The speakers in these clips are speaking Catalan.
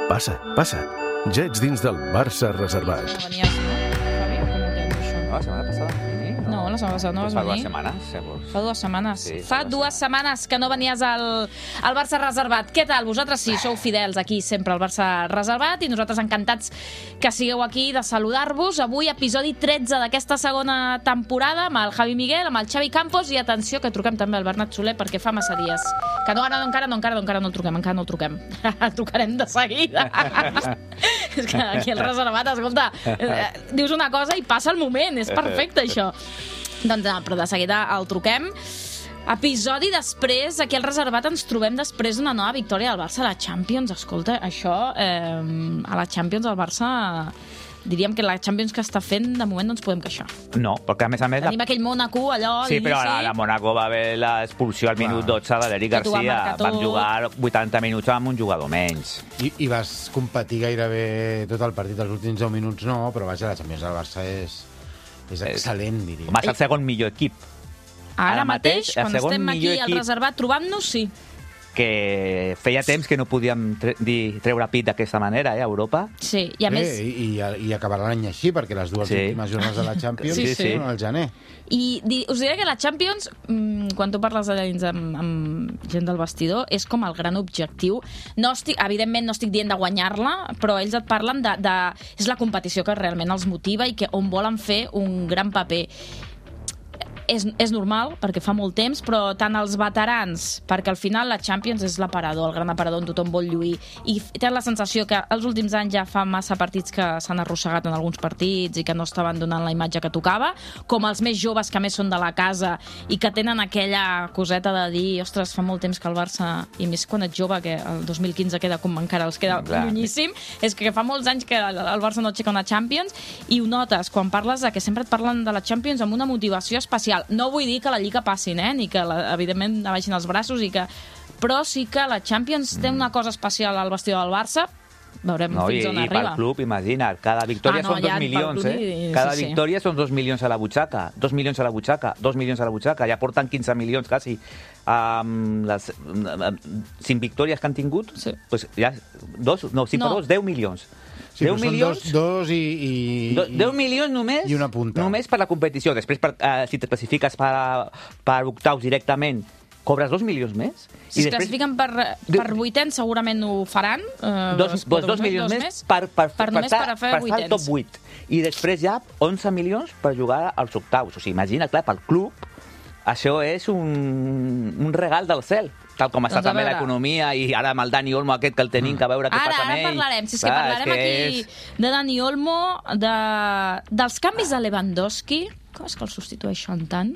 Passa, passa. Ja ets dins del Barça reservat. No venies, no? Javi, com ho tens, això? No, la setmana passada. No, la setmana passada no vas Fa venir. 2 setmanes, llavors. Fa 2 setmanes. Sí, Fa 2 setmanes que no venies al Barça reservat. Què tal? Vosaltres sí, sou fidels aquí sempre al Barça reservat i nosaltres encantats que sigueu aquí de saludar-vos. Avui episodi 13 d'aquesta segona temporada amb el Javi Miguel, amb el Xavi Campos i atenció que truquem també al Bernat Soler perquè fa massa dies. Que no, encara no el truquem. El trucarem de seguida. És que aquí el reservat, escolta, dius una cosa i passa el moment. És perfecte, això. Doncs no, però de seguida el truquem. Episodi després, aquí al reservat ens trobem després d'una nova victòria del Barça a la Champions. Escolta, això, a la Champions el Barça... Diríem que la Champions que està fent, de moment no ens podem queixar. No, perquè a més... Tenim aquell Mónaco, allò... Sí, però la Mónaco va haver l'expulsió al minut 12 de l'Eric Garcia. Van jugar 80 minuts amb un jugador menys. I vas competir gairebé tot el partit, els últims 10 minuts no, però vaja, la Champions del Barça és excel·lent, diria. Va ser el segon millor equip. Ara mateix, quan estem aquí al reservat trobant-nos, sí. Que feia temps que no podíem treure pit d'aquesta manera, a Europa. Sí, i a més... I acabarà l'any així, perquè les dues últimes jornades de la Champions són al gener. I us diré que la Champions, quan tu parles de dins amb gent del vestidor, és com el gran objectiu. Evidentment no estic dient de guanyar-la, però ells et parlen de... És la competició que realment els motiva i que on volen fer un gran paper. És normal, perquè fa molt temps, però tant els veterans, perquè al final la Champions és l'aparador, el gran aparador on tothom vol lluir, i tens la sensació que els últims anys ja fa massa partits que s'han arrossegat en alguns partits i que no estaven donant la imatge que tocava, com els més joves que més són de la casa i que tenen aquella coseta de dir, ostres, fa molt temps que el Barça, i més quan ets jove, que el 2015 queda com encara els queda llunyíssim, és que fa molts anys que el Barça no aixeca una Champions, i ho notes quan parles que sempre et parlen de la Champions amb una motivació especial. No vull dir que la Lliga passin, ni que, evidentment, abaixin els braços, però sí que la Champions té una cosa especial al vestidor del Barça. Veurem fins on arriba. I pel club, imagina't, cada victòria són 2 milions, Cada victòria són 2 milions a la butxaca, 2 milions a la butxaca, 2 milions a la butxaca, ja porten 15 milions quasi. Les 5 victòries que han tingut, doncs ja, 10 milions. Sí, 10 milions, dos i 10 milions només, i una punta. Només per la competició. Després, si te classifiques per octaus directament, cobres 2 milions més. Si es classifiquen per vuitens, segurament ho faran. 2 milions més per estar al top 8. I després ja 11 milions per jugar als octaus. O sigui, imagina, clar, pel club, això és un regal del cel. Tal com està també l'economia, i ara amb el Dani Olmo aquest que el tenim, que a veure què passa amb ell. Ara parlarem, si és que parlarem aquí de Dani Olmo, dels canvis de Lewandowski, com és que el substitueixen tant?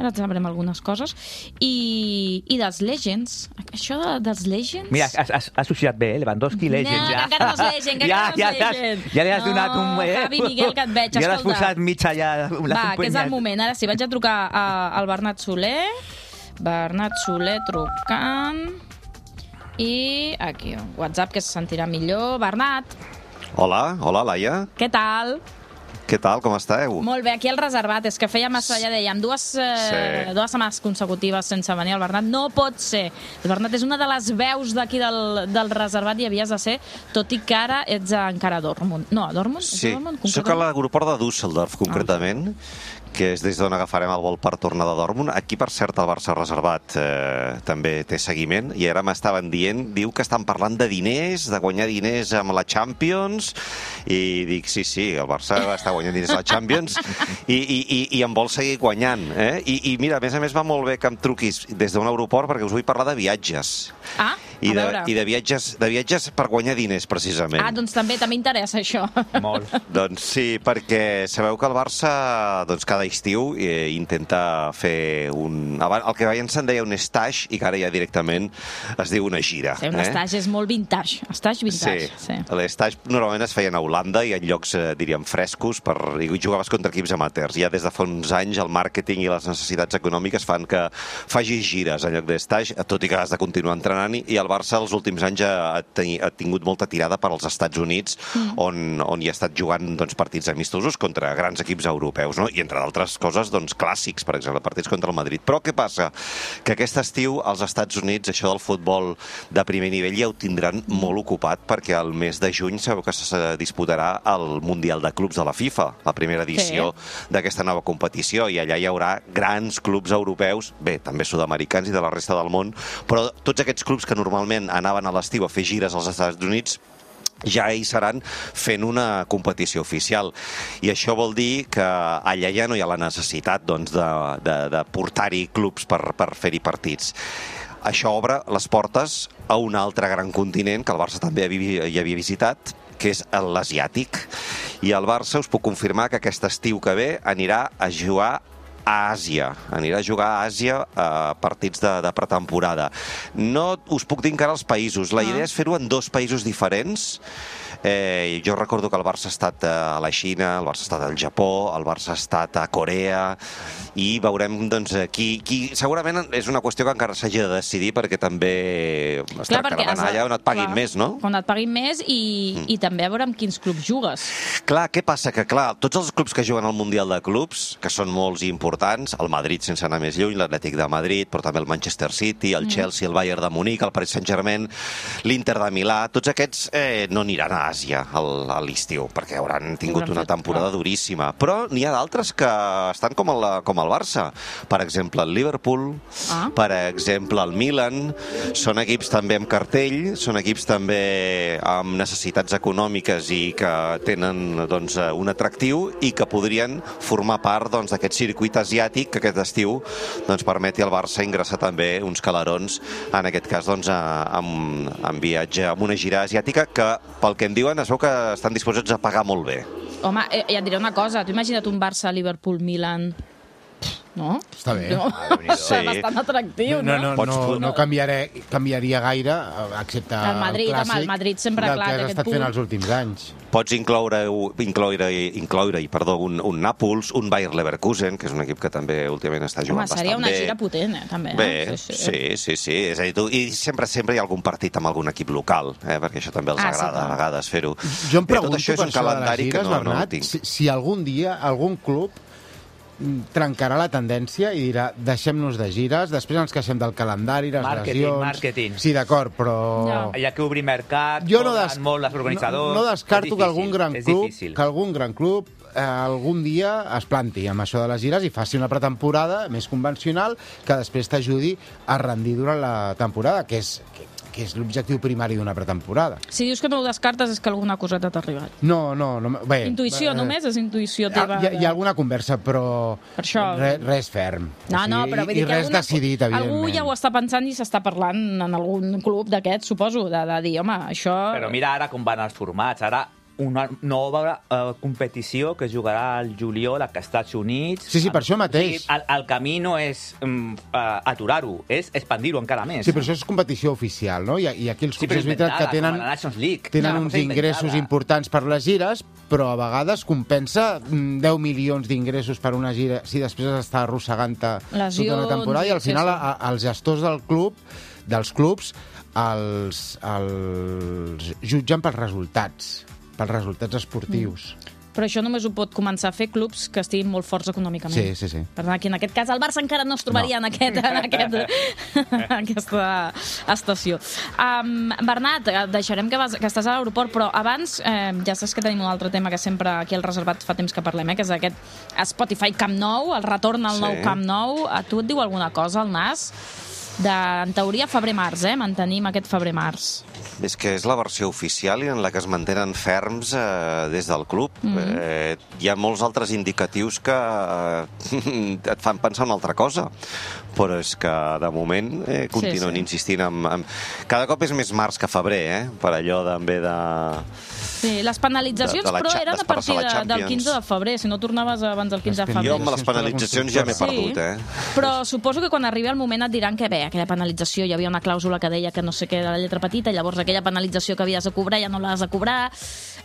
Ara et sabrem algunes coses. I dels Legends. Això dels Legends... Mira, has associat bé, Lewandowski, Legends. No, encara no és Legends, Ja li has donat un... Javi Miguel, que et veig, escolta. Ja l'has posat mitja ja... Va, que és el moment. Ara sí, vaig a trucar al Bernat Soler. Bernat Soler trucant. I aquí, WhatsApp, que se sentirà millor. Bernat. Hola, Laia. Què tal? Què tal, com esteu? Molt bé, aquí al reservat. És que feia massa, ja dèiem, dues setmanes consecutives sense venir al Bernat. No pot ser. El Bernat és una de les veus d'aquí del reservat i havies de ser, tot i que ara ets encara a Dortmund. No, a Dortmund? Sí, soc a l'aeroport de Düsseldorf, concretament, que és des d'on agafarem el vol per tornar de Dortmund. Aquí, per cert, el Barça reservat també té seguiment, i ara m'estaven dient, diu que estan parlant de diners, de guanyar diners amb la Champions, i dic, sí, el Barça està guanyant diners a la Champions, i en vol seguir guanyant. I mira, a més va molt bé que em truquis des d'un aeroport, perquè us vull parlar de viatges. I de viatges per guanyar diners, precisament. Doncs també interessa això. Molt. Doncs sí, perquè sabeu que el Barça cada estiu intenta fer el que abans se'n deia un stage, i que ara ja directament es diu una gira. Sí, un stage és molt vintage. Stage vintage. Sí. L'estage normalment es feien a Holanda i en llocs, diríem, frescos, i jugaves contra equips amateurs. Ja des de fa uns anys el màrqueting i les necessitats econòmiques fan que facis gires en lloc d'estage, tot i que has de continuar entrenant, i el Barça els últims anys ha tingut molta tirada per als Estats Units, on hi ha estat jugant partits amistosos contra grans equips europeus, no? I entre d'altres coses, clàssics, per exemple, partits contra el Madrid. Però què passa? Que aquest estiu als Estats Units això del futbol de primer nivell ja ho tindran molt ocupat, perquè al mes de juny sabeu que se disputarà el Mundial de Clubs de la FIFA, la primera edició d'aquesta nova competició, i allà hi haurà grans clubs europeus, bé, també sud-americans i de la resta del món, però tots aquests clubs que normalment anaven a l'estiu a fer gires als Estats Units ja hi seran fent una competició oficial. I això vol dir que allà ja no hi ha la necessitat de portar-hi clubs per fer-hi partits. Això obre les portes a un altre gran continent que el Barça també hi havia visitat, que és l'asiàtic. I el Barça us puc confirmar que aquest estiu que ve anirà a jugar a Àsia. Anirà a jugar a Àsia a partits de pretemporada. No us puc dir encara els països. La idea és fer-ho en 2 països diferents. Jo recordo que el Barça ha estat a la Xina, el Barça ha estat al Japó, el Barça ha estat a Corea, i veurem, segurament és una qüestió que encara s'hagi de decidir, perquè també es tractarà d'anar allà on et paguin més, no? On et paguin més i també a veure amb quins clubs jugues. Clar, què passa? Que tots els clubs que juguen al Mundial de Clubs, que són molts i importants, el Madrid sense anar més lluny, l'Atlètic de Madrid, però també el Manchester City, el Chelsea, el Bayern de Munic, el Paris Saint-Germain, l'Inter de Milà, tots aquests no aniran a Àsia a l'estiu, perquè hauran tingut una temporada duríssima. Però n'hi ha d'altres que estan com el Barça. Per exemple, el Liverpool, per exemple, el Milan. Són equips també amb cartell, són equips també amb necessitats econòmiques i que tenen un atractiu i que podrien formar part d'aquest circuit asiàtic que aquest estiu permeti al Barça ingressar també uns calarons, en aquest cas amb viatge, amb una gira asiàtica que, pel que em diuen, es veu que estan disposats a pagar molt bé. Home, ja et diré una cosa. T'ho imagina't un Barça, Liverpool, Milan... No? Està bé. És bastant atractiu, no? No canviaria gaire, excepte el Madrid, clàssic el Madrid sempre del que has estat fent els últims anys. Pots incloure-hi un Nàpols, un Bayer Leverkusen, que és un equip que també últimament està jugant bastant bé. Seria una gira potent, també. Bé, sí. És a dir, i sempre hi ha algun partit amb algun equip local, perquè això també els agrada a vegades fer-ho. Jo em pregunto per això de les gires, Bernat, si algun dia algun club trencarà la tendència i dirà deixem-nos de gires, després ens queixem del calendari, les lesions... Màrqueting. Sí, d'acord, però... Hi ha que obrir mercat, molt els organitzadors... No descarto que algun gran club algun dia es planti amb això de les gires i faci una pretemporada més convencional que després t'ajudi a rendir durant la temporada, que és l'objectiu primari d'una pretemporada. Si dius que no ho descartes és que alguna coseta t'ha arribat. No. Bé, intuïció només? És intuïció teva? Hi ha alguna conversa, però res ferm. No, però vull dir que res decidit, evidentment. Algú ja ho està pensant i s'està parlant en algun club d'aquests, suposo, de dir, home, això... Però mira ara com van els formats. Ara una nova competició que jugarà al juliol als Estats Units. Sí, per això mateix. El camí no és aturar-ho, és expandir-ho encara més. Sí, però això és competició oficial, no? I aquí els clubs és veritat que tenen uns ingressos importants per les gires, però a vegades compensa 10 milions d'ingressos per una gira si després està arrossegant-te tota una temporada, i al final els gestors dels clubs els jutgen pels resultats esportius. Però això només ho pot començar a fer clubs que estiguin molt forts econòmicament. Sí. Per tant, aquí en aquest cas el Barça encara no es trobaria en aquesta estació. Bernat, deixarem que estàs a l'aeroport, però abans ja saps que tenim un altre tema que sempre aquí al Reservat fa temps que parlem, que és aquest Spotify Camp Nou, el retorn al nou Camp Nou. A tu et diu alguna cosa, el Nas? En teoria, febrer-març, mantenim aquest febrer-març. És que és la versió oficial i en la que es mantenen ferms des del club. Hi ha molts altres indicatius que et fan pensar una altra cosa, però és que de moment continuen insistint Cada cop és més març que febrer, per allò també de... Sí, les penalitzacions, però eren a partir del 15 de febrer, si no tornaves abans del 15 de febrer. Jo amb les penalitzacions ja m'he perdut, Però suposo que quan arribi el moment et diran que aquella penalització, hi havia una clàusula que deia que no sé què de la lletra petita, llavors aquella penalització que havies de cobrar ja no l'has de cobrar.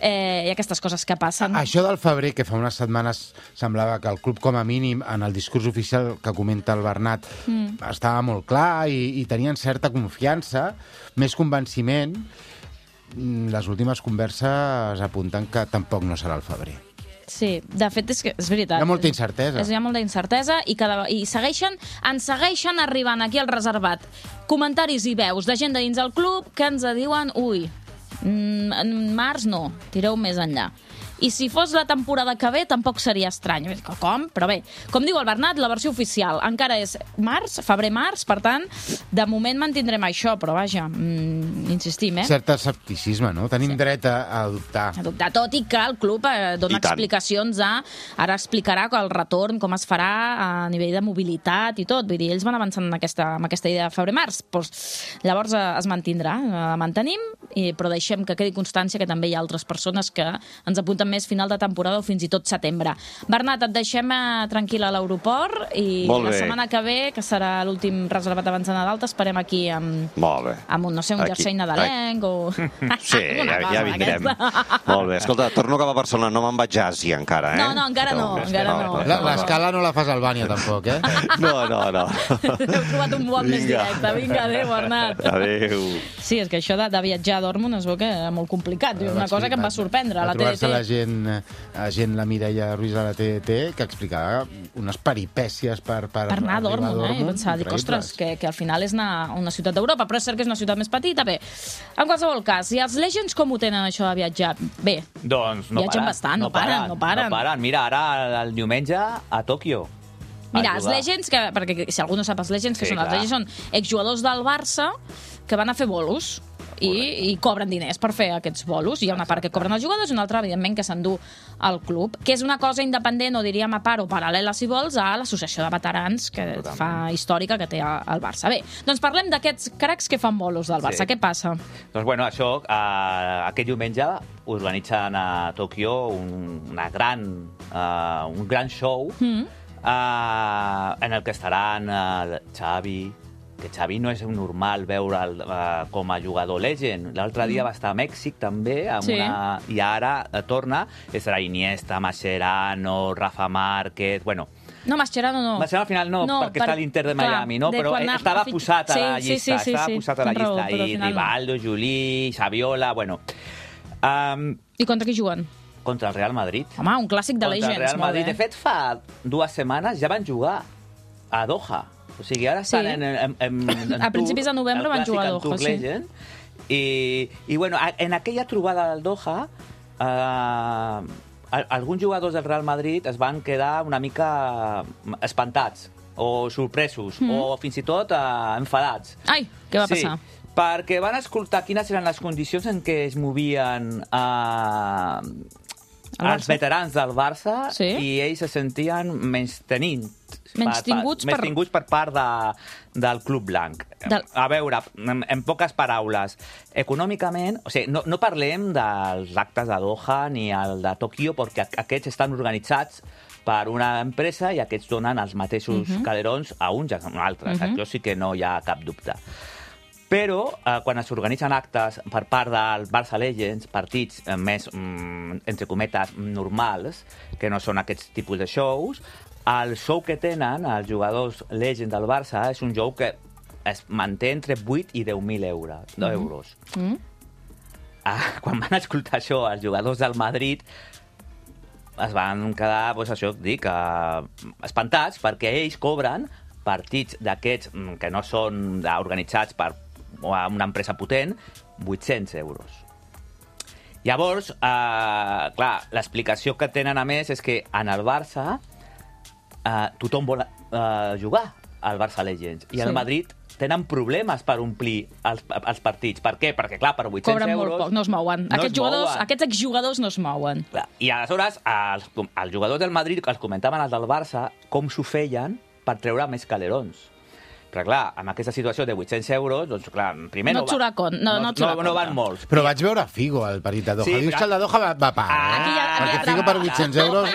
i aquestes coses que passen. Això del febrer, que fa unes setmanes semblava que el club, com a mínim, en el discurs oficial que comenta el Bernat, estava molt clar i tenien certa confiança, més convenciment. Les últimes converses apunten que tampoc no serà el febrer. Sí, de fet és veritat. Hi ha molta incertesa. Hi ha molta incertesa i ens segueixen arribant aquí al reservat comentaris i veus de gent de dins del club que ens diuen en març no, tireu més enllà. I si fos la temporada que ve, tampoc seria estrany. Com? Però bé, com diu el Bernat, la versió oficial encara és febrer-març, per tant, de moment mantindrem això, però vaja, insistim, Cert escepticisme, no? Tenim dret a dubtar. A dubtar, tot i que el club dona explicacions ara explicarà el retorn, com es farà a nivell de mobilitat i tot. Vull dir, ells van avançant amb aquesta idea de febrer-març. Llavors es mantindrà, la mantenim, però deixem que quedi constància que també hi ha altres persones que ens apunten més final de temporada o fins i tot setembre. Bernat, et deixem tranquil a l'aeroport i la setmana que ve, que serà l'últim reservat abans de Nadal, t'esperem aquí amb un jersei nadalenc o... Sí, ja vindrem. Molt bé. Escolta, torno cap a Barcelona, no me'n vaig a Àsia encara, No, encara no. L'escala no la fas a Albània, tampoc, No. Heu trobat un vol més directe. Vinga, adéu, Bernat. Adéu. Sí, és que això de viatjar a Dortmund es veu que és molt complicat. Una cosa que em va sorprendre, la TDT. Gent, la Mireia Ruiz de la TDT, que explicava unes peripècies per anar a Dortmund, i pensar, dic, ostres, que al final és anar a una ciutat d'Europa, però és cert que és una ciutat més petita. Bé, en qualsevol cas, i els Legends com ho tenen, això de viatjar? Bé, doncs viatgen bastant, no paren. Mira, ara el diumenge a Tòquio. Mira, els Legends, perquè si algú no sap els Legends, que són els Legends, són exjugadors del Barça que van a fer bolos i cobren diners per fer aquests bolos. Hi ha una part que cobren els jugadors i una altra, evidentment, que s'endú al club, que és una cosa independent, o diríem a part o paral·lela, si vols, a l'associació de veterans que fa històrica que té el Barça. Bé, doncs parlem d'aquests cracs que fan bolos del Barça. Què passa? Doncs bueno, això, aquest diumenge organitzen a Tòquio un gran show en el que estaran Xavi, que Xavi no és normal veure'l com a jugador legend. L'altre dia va estar a Mèxic, també, i ara torna. Estarà Iniesta, Mascherano, Rafa Márquez... Bueno, no, Mascherano no. Mascherano al final no, perquè està a l'Inter de Miami, no? Però estava posat a la llista. Estava posat a la llista. I Rivaldo, Juli, Saviola... Bueno. I contra qui juguen? Contra el Real Madrid. Home, un clàssic de Legends. Contra el Real Madrid. De fet, fa 2 setmanes ja van jugar a Doha. O sigui, ara estan en a principis de novembre van jugar a Doha, sí. I bueno, en aquella trobada del Doha, alguns jugadors del Real Madrid es van quedar una mica espantats, o sorpresos, o fins i tot enfadats. Ai, què va passar? Perquè van escoltar quines eren les condicions en què es movien els veterans del Barça i ells se sentien menystinguts per part del Club Blanc. A veure, en poques paraules, econòmicament, o sigui, no parlem dels actes de Doha ni el de Tòquio, perquè aquests estan organitzats per una empresa i aquests donen els mateixos calerons a uns i a altres. Això sí que no hi ha cap dubte. Però quan s'organitzen actes per part del Barça Legends, partits més, entre cometes, normals, que no són aquests tipus de shows, el show que tenen els jugadors Legends del Barça és un show que es manté entre 8 i 10.000 euros. Quan van escoltar això els jugadors del Madrid, es van quedar, doncs això que dic, espantats, perquè ells cobren partits d'aquests que no són organitzats per una empresa potent, 800 euros. Llavors, clar, l'explicació que tenen a més és que en el Barça tothom vol jugar al Barça Legends i al Madrid tenen problemes per omplir els partits. Per què? Perquè, clar, per 800 cobren euros... Cobren molt poc, no es mouen. Aquests exjugadors no es mouen. I aleshores, els jugadors del Madrid els comentaven els del Barça com s'ho feien per treure més calerons. Però clar, amb aquesta situació de 800 euros, doncs clar, primer no van molts. Però vaig veure Figo al partit de Doha. Sí, dius que el de Doha va pagar, perquè Figo per 800 euros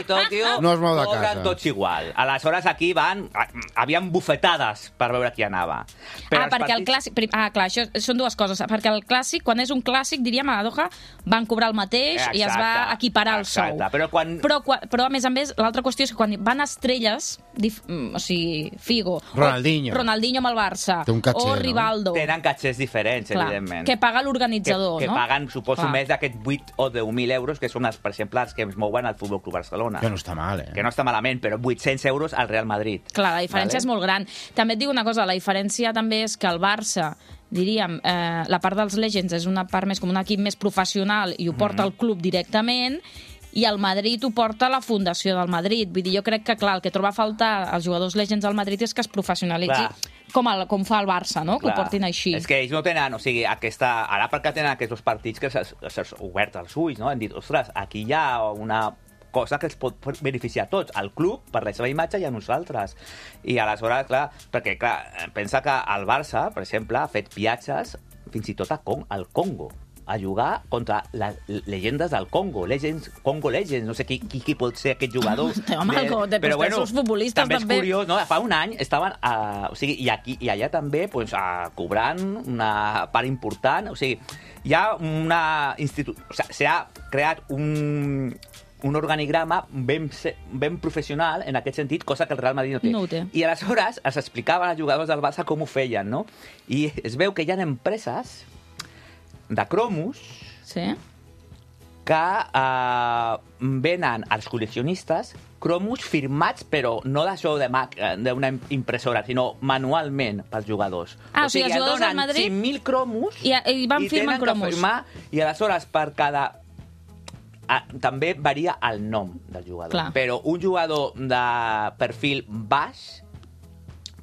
no es mou de casa. Cobren tots igual. Aleshores aquí havien bufetades per veure qui anava. Perquè el clàssic... clar, això són dues coses. Perquè el clàssic, quan és un clàssic, diríem, a Doha van cobrar el mateix i es va equiparar el sou. Però a més, l'altra qüestió és que quan van estrelles, o sigui, Figo, Ronaldinho amb el Barça, catxer, o Rivaldo... Tenen catxers diferents, evidentment. Que paga l'organitzador, no? Que paguen, suposo, més d'aquests 8 o 10.000 euros, que són, per exemple, els que es mouen al Futbol Club Barcelona. Que no està mal, Que no està malament, però 800 euros al Real Madrid. Clar, la diferència és molt gran. També et dic una cosa, la diferència també és que el Barça, diríem, la part dels Legends és una part més com un equip més professional i ho porta el club directament, i el Madrid ho porta la fundació del Madrid. Vull dir, jo crec que, clar, el que troba a faltar als jugadors Legends al Madrid és que es professionalitzi com fa el Barça, no? Que ho portin així. És que ells no tenen, o sigui, ara perquè tenen aquests partits que s'han obert els ulls, no? Han dit, ostres, aquí hi ha una cosa que els pot beneficiar a tots, al club, per la seva imatge, i a nosaltres. I aleshores, clar, perquè, clar, pensa que el Barça, per exemple, ha fet viatges fins i tot al Congo, a jugar contra les llegendes del Congo, Congo Legends, no sé qui pot ser aquest jugador. Però bueno, futbolistes també és curiós, no? Fa un any estaven, o sigui, i allà també cobrant una part important, o sigui, hi ha una institució, o sigui, s'ha creat un organigrama ben professional en aquest sentit, cosa que el Real Madrid no té. No ho té. I aleshores els explicaven als jugadors del Barça com ho feien, no? I es veu que hi ha empreses de cromos que venen als col·leccionistes cromos firmats, però no d'això d'una impressora, sinó manualment pels jugadors. O sigui, els jugadors del Madrid... 5.000 cromos i van firmant cromos. I aleshores per cada... també varia el nom del jugador. Clar. Però un jugador de perfil baix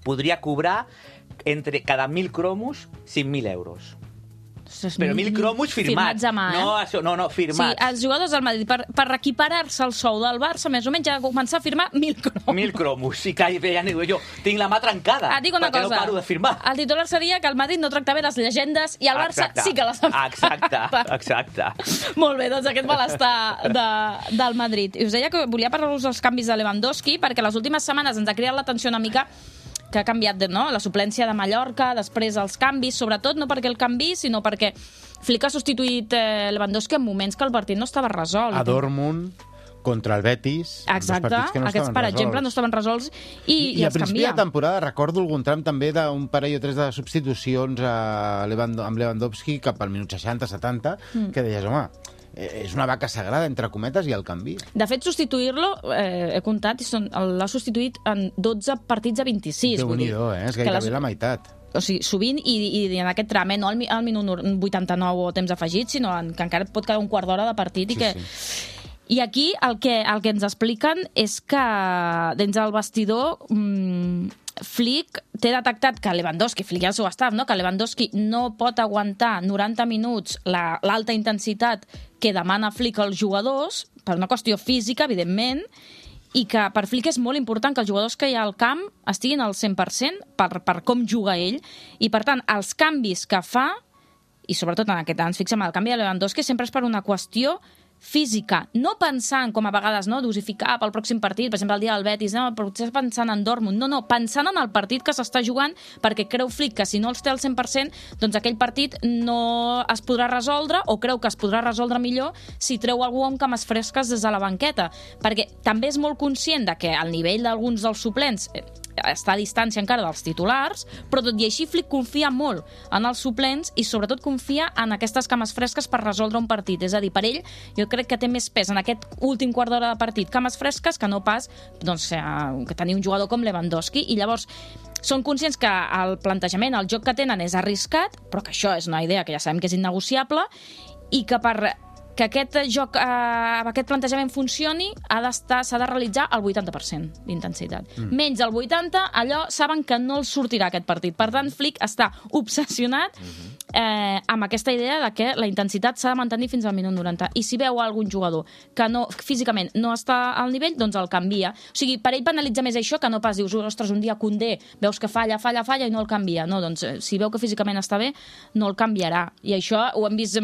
podria cobrar entre cada 1.000 cromos 5.000 euros. Però 1.000 cromos firmats. A mà, No, firmats. Sí, els jugadors del Madrid, per equiparar-se al sou del Barça, més o menys, ja començar a firmar 1.000 cromos. 1.000 cromos. Sí que ja jo tinc la mà trencada. Dic una cosa. No paro de firmar. El titular seria que el Madrid no tracta bé les llegendes i el Barça sí que les ha Exacte. Molt bé, doncs aquest malestar del Madrid. I us deia que volia parlar-vos dels canvis de Lewandowski, perquè les últimes setmanes ens ha cridat l'atenció una mica que ha canviat la suplència de Mallorca, després els canvis, sobretot no perquè el canvi, sinó perquè Flick ha substituït Lewandowski en moments que el partit no estava resolt. A Dortmund, contra el Betis... Exacte, aquests, per exemple, no estaven resolts i els canvia. A principi de temporada recordo algun tram també d'un parell o tres de substitucions amb Lewandowski cap al minut 60-70, que deies, home, és una vaca sagrada, entre cometes, i el canvi. De fet, substituir-lo, he comptat, l'ha substituït en 12 partits a 26. Déu-n'hi-do, és gairebé la meitat. O sigui, sovint, i en aquest tram, no al minut 89 o temps afegit, sinó que encara pot quedar un quart d'hora de partit. I aquí el que ens expliquen és que dins del vestidor Flick té detectat que Lewandowski, Flick i el seu staff, que Lewandowski no pot aguantar 90 minuts l'alta intensitat que demana Flick als jugadors, per una qüestió física, evidentment, i que per Flick és molt important que els jugadors que hi ha al camp estiguin al 100% per com juga ell, i per tant, els canvis que fa, i sobretot en aquest ens fixem el canvi de Lewandowski, sempre és per una qüestió física, no pensant, com a vegades, dosificar pel pròxim partit, per exemple, el dia del Betis, potser pensant en Dortmund, no, pensant en el partit que s'està jugant, perquè creu Flick que si no els té al 100%, doncs aquell partit no es podrà resoldre, o creu que es podrà resoldre millor si treu algú amb cames fresques des de la banqueta, perquè també és molt conscient de que el nivell d'alguns dels suplents està a distància encara dels titulars, però tot i així Flick confia molt en els suplents i sobretot confia en aquestes cames fresques per resoldre un partit. És a dir, per ell, jo crec que té més pes en aquest últim quart d'hora de partit cames fresques que no pas que tenir un jugador com Lewandowski, i llavors són conscients que el plantejament, el joc que tenen és arriscat, però que això és una idea que ja sabem que és innegociable, i que que aquest joc, aquest plantejament funcioni, s'ha de realitzar al 80% d'intensitat. Menys el 80%, allò saben que no els sortirà aquest partit. Per tant, Flick està obsessionat amb aquesta idea de que la intensitat s'ha de mantenir fins al minut 90. I si veu algun jugador que físicament no està al nivell, doncs el canvia. O sigui, per ell penalitza més això que no pas dius, ostres, un dia Koundé, veus que falla i no el canvia. No, doncs si veu que físicament està bé, no el canviarà. I això ho hem vist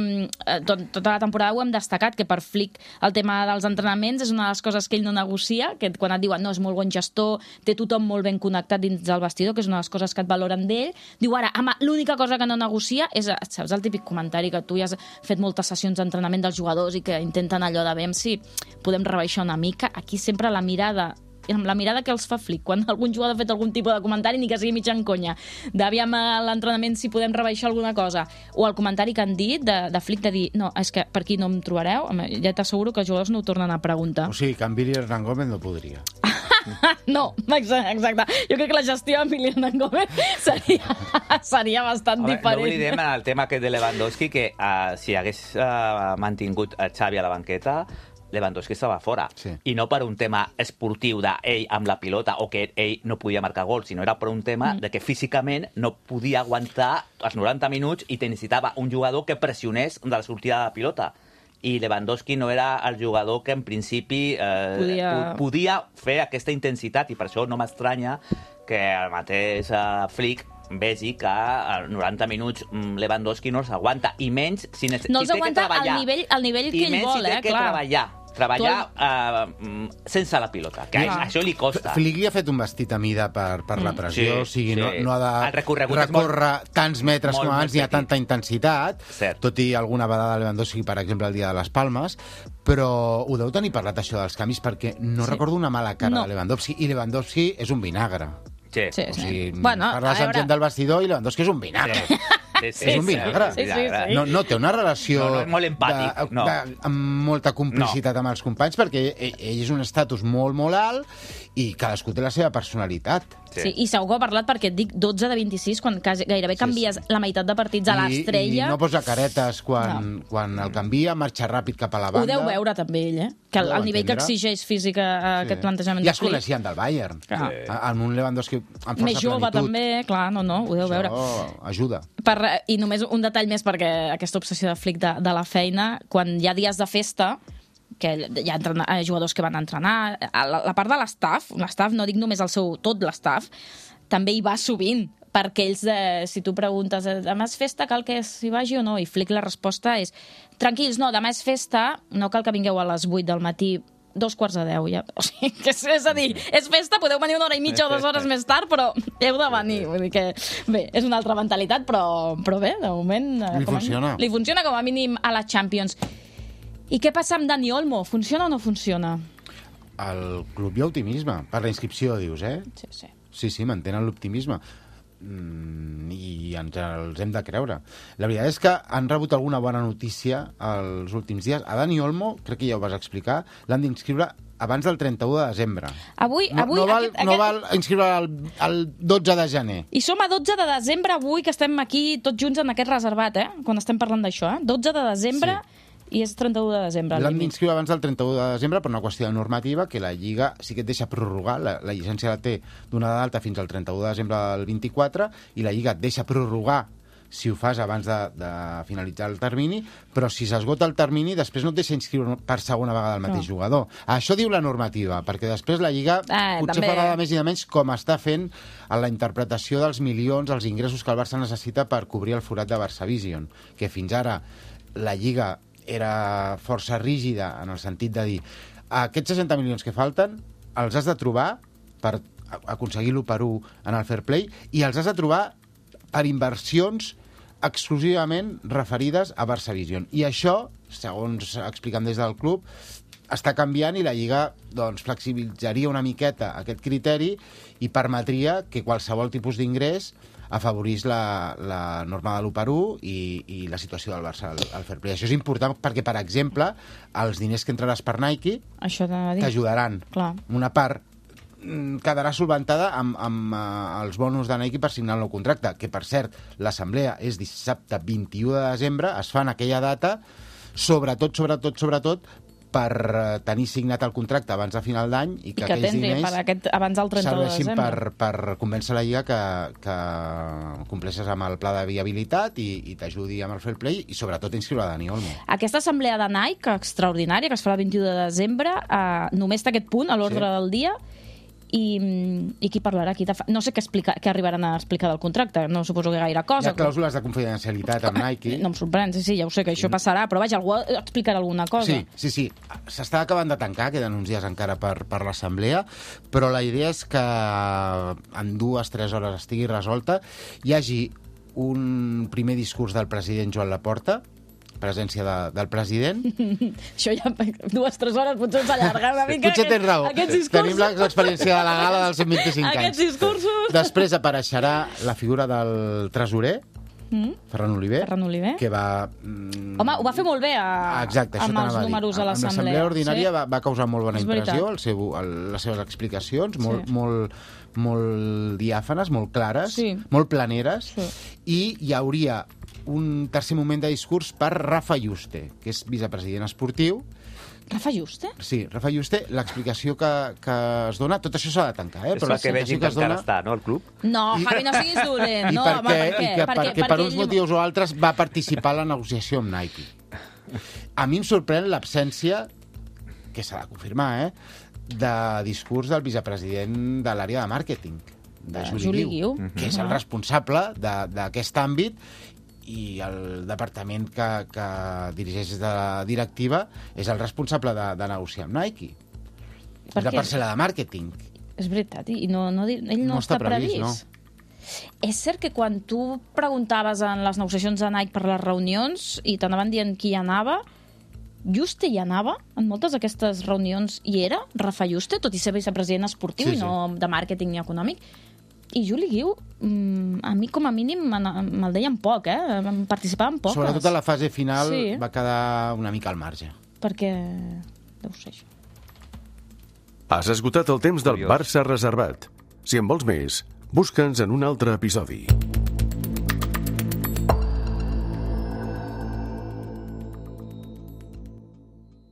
tota la temporada, ho hem destacat, que per Flick el tema dels entrenaments és una de les coses que ell no negocia, que quan et diuen, no, és molt bon gestor, té tothom molt ben connectat dins del vestidor, que és una de les coses que et valoren d'ell. Diu, ara, l'única cosa que no negocia és, saps, el típic comentari que tu ja has fet moltes sessions d'entrenament dels jugadors i que intenten allò de veure si podem rebaixar una mica. Aquí sempre la mirada que els fa Flick, quan algun jugador ha fet algun tipus de comentari, ni que sigui mitja en conya, d'aviam a l'entrenament si podem rebaixar alguna cosa, o el comentari que han dit de Flick de dir, no, és que per aquí no em trobareu, ja t'asseguro que els jugadors no ho tornen a preguntar. O sigui, que en Billy Hernán Gómez no podria. No, exacte. Jo crec que la gestió amb Billy Hernán Gómez seria bastant diferent. No oblidem el tema aquest de Lewandowski, que si hagués mantingut Xavi a la banqueta, Lewandowski estava fora. Sí. I no per un tema esportiu d'ell amb la pilota o que ell no podia marcar gol, sinó era per un tema de que físicament no podia aguantar els 90 minuts i necessitava un jugador que pressionés de la sortida de la pilota. I Lewandowski no era el jugador que en principi podia fer aquesta intensitat, i per això no m'estranya que el mateix Flick vegi que a 90 minuts Lewandowski no els aguanta, i menys si té que treballar. No els aguanta al nivell que ell vol, clar. I menys si té que treballar sense la pilota, que això li costa. Flick li ha fet un vestit a mida per la pressió, o sigui, no ha de recórrer tants metres com abans, ni a tanta intensitat, tot i alguna vegada Lewandowski, per exemple, el dia de les Palmes, però ho deu tenir parlat, això dels canvis, perquè no recordo una mala cara de Lewandowski, i Lewandowski és un vinagre. Sí. O sigui, parles amb gent del vestidor i Lewandowski és un vinagre. És un vinagre. No té una relació molt empàtic, amb molta complicitat amb els companys, perquè ell és un estatus molt, molt alt i cadascú té la seva personalitat. Sí, i segur que ha parlat, perquè et dic 12 de 26, quan gairebé canvies la meitat de partits a l'Estrella. I no posa caretes quan el canvia, marxa ràpid cap a la banda. Ho deu veure també ell, que el nivell que exigeix físic aquest plantejament de Flick. Ja es coneixien del Bayern. En un Lewandowski amb força plenitud. Més jove també, clar, ho deu veure. Això ajuda. I només un detall més, perquè aquesta obsessió de Flick de la feina, quan hi ha dies de festa, que hi ha jugadors que van entrenar, la part de l'estaf, no dic només tot l'estaf, també hi va sovint, perquè ells, si tu preguntes, demà és festa, cal que s'hi vagi o no? I Flick la resposta és, tranquils, no, demà és festa, no cal que vingueu a les 8 del matí, 9:45, ja. O sigui, és a dir, és festa, podeu venir 1 hora i mitja o 2 hores més tard, però heu de venir. Vull dir que, bé, és una altra mentalitat, però bé, de moment... Li funciona com a mínim a la Champions. I què passa amb Dani Olmo? Funciona o no funciona? Al club hi ha optimisme. Per la inscripció, dius, eh? Sí, mantenen l'optimisme. I els hem de creure. La veritat és que han rebut alguna bona notícia els últims dies. A Dani Olmo, crec que ja ho vas explicar, l'han d'inscriure abans del 31 de desembre. No val inscriure el 12 de gener. I som a 12 de desembre avui, que estem aquí tots junts en aquest reservat, quan estem parlant d'això. 12 de desembre... Sí. I és 31 de desembre. L'han d'inscriure abans del 31 de desembre per una qüestió de normativa, que la Lliga sí que et deixa prorrogar, la llicència la té donada d'alta fins al 31 de desembre del 24, i la Lliga et deixa prorrogar si ho fas abans de finalitzar el termini, però si s'esgota el termini, després no et deixa inscriure per segona vegada el mateix jugador. Això diu la normativa, perquè després la Lliga potser farà de més i de menys, com està fent en la interpretació dels milions, els ingressos que el Barça necessita per cobrir el forat de Barça Vision, que fins ara la Lliga era força rígida en el sentit de dir, aquests 60 milions que falten els has de trobar per aconseguir l'1-1 en el fair play, i els has de trobar per inversions exclusivament referides a Barça Vision. I això, segons expliquen des del club, està canviant, i la Lliga flexibilitzaria una miqueta aquest criteri i permetria que qualsevol tipus d'ingrés afavorís la norma de l'1-1 i la situació del Barça al fair play. Això és important perquè, per exemple, els diners que entraràs per Nike t'ajudaran. Una part quedarà solventada amb els bonus de Nike per signar el nou contracte, que, per cert, l'assemblea és dissabte 21 de desembre, es fa en aquella data, sobretot per tenir signat el contracte abans de final d'any i que aquells diners abans del 30 de serveixin desembre. per convèncer la Lliga que compleixes amb el pla de viabilitat i t'ajudi amb el fair play i sobretot inscriure Dani Olmo. Aquesta assemblea de Nike extraordinària que es farà el 21 de desembre només té aquest punt a l'ordre del dia i qui parlarà? No sé què arribaran a explicar del contracte, no suposo que gaire cosa. Hi ha clàusules de confidencialitat amb Nike. No em sorprèn, sí, ja ho sé que això passarà, però vaja, algú explicarà alguna cosa. Sí. S'està acabant de tancar, queden uns dies encara per l'assemblea, però la idea és que en 2-3 hores estigui resolta, hi hagi un primer discurs del president Joan Laporta, presència del president. Això ja 2-3 hores potser s'allarga una mica. Potser tens raó. Tenim l'experiència de la gala dels 125 anys. Aquests discursos. Després apareixerà la figura del tresorer, Ferran Oliver, que va... Home, ho va fer molt bé exacte, amb els números a l'assemblea. Amb l'assemblea ordinària va causar molt bona impressió, les seves explicacions, molt diàfanes, molt clares, molt planeres, i hi hauria un tercer moment de discurs per Rafa Yuste, que és vicepresident esportiu. Rafa Yuste? Sí, Rafa Yuste, l'explicació que es dona... Tot això s'ha de tancar, però que vegin que encara està, no, el club? No, Javi, no siguis dolent. No, perquè per uns motius o altres va participar a la negociació amb Nike. A mi em sorprèn l'absència, que s'ha de confirmar, de discurs del vicepresident de l'àrea de màrqueting, de Juli Guiu, que és el responsable d'aquest àmbit, i el departament que dirigeix de la directiva és el responsable de negociar amb Nike. És la parcel·la de màrqueting. És veritat, i ell no està previst. No. És cert que quan tu preguntaves en les negociacions de Nike per les reunions i t'anaven dient qui hi anava, Yuste hi anava? En moltes d'aquestes reunions hi era? Rafa Yuste, tot i ser vicepresident esportiu i no de màrqueting ni econòmic? I Juli Guiu, a mi com a mínim me'l deien poc, participaven poques. Sobretot a la fase final va quedar una mica al marge. Perquè deu ser això. Has esgotat el temps del Barça reservat. Si en vols més, busca'ns en un altre episodi.